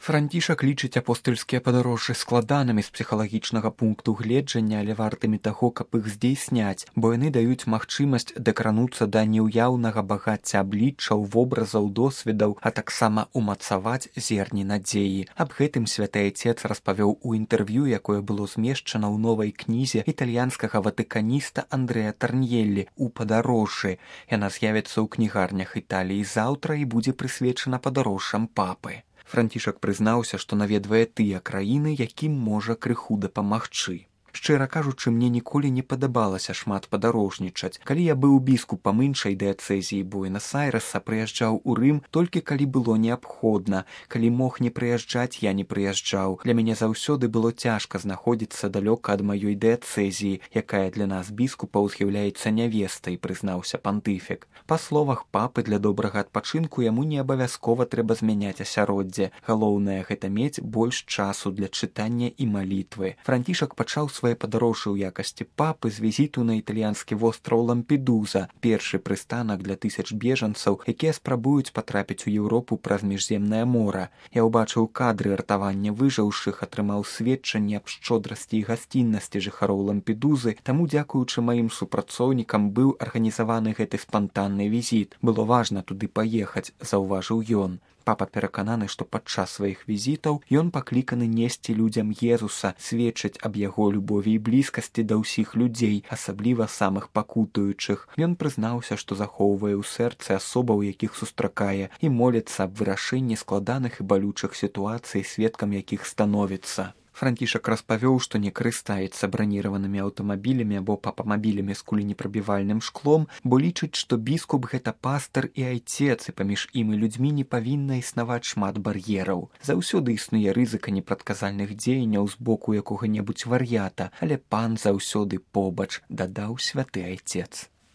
Францішак лічыць апостальскія падарожжы складанымі з псіхалагічнага пункту гледжання, але вартымі таго, каб іх здзейсняць, бо яны даюць магчымасць дакрануцца да неўяўнага багацця абліччаў, вобразаў, досведаў, а таксама умацаваць зерні надзеі. Аб гэтым святы айцец распавёў у інтэрв'ю, якое было змешчана ў новай кнізе італьянскага ватыканіста Андрэа Тарньеллі «У падарожжы». Яна з'явіцца ў кнігарнях Італіі заўтра і будзе прысвечана падарожжам папы. Францішак прызнаўся, што наведвае тыя краіны, якім можа крыху дапамагчы. Шчыра кажучы, мне ніколі не падабалася шмат падарожнічаць. Калі я быў біскупам іншай дыяцэзіі Буэнас-Айрэса, прыязджаў у Рым толькі калі было неабходна. Калі мог не прыязджаць, я не прыязджаў. Для мяне заўсёды было цяжка знаходзіцца далёка ад маёй дыяцэзіі, якая для нас біскупаў з'яўляецца нявестай, прызнаўся пантыфік. Па словах папы, для добрага адпачынку яму не абавязкова трэба змяняць асяроддзе. Галоўнае гэта мець больш часу для чытання і малітвы. Францішак пачаў свае падарожжы ў якасці папы з візіту на італьянскі востраў Лампедуза, першы прыстанак для тысяч бежанцаў, якія спрабуюць патрапіць у Еўропу праз міжземнае мора. Я ўбачыў кадры ратавання выжыўшых, атрымаў сведчанне аб шчодрасці і гасціннасці жыхароў Лампедузы, таму дзякуючы маім супрацоўнікам быў арганізаваны гэты спантанны візіт. Было важна туды паехаць, заўважыў ён. Папа перакананы, што падчас сваіх візітаў ён пакліканы несці людзям Езуса, сведчыць аб яго любові і блізкасці да ўсіх людзей, асабліва самых пакутуючых. Ён прызнаўся, што захоўвае ў сэрцы асобаў, якіх сустракае, і моліцца аб вырашэнні складаных і балючых сітуацый, сведкам якіх становіцца. Францішак распавёў, што не карыстаецца браніраванымі аўтамабілямі або папамабілямі з куленепрабівальным шклом, бо лічыць, што біскуп гэта пастар і айцец, і паміж ім і людзьмі не павінна існаваць шмат бар'ераў. Заўсёды існуе рызыка непрадказальных дзеянняў з боку якога-небудзь вар'ята, але пан заўсёды побач, дадаў святы айцец.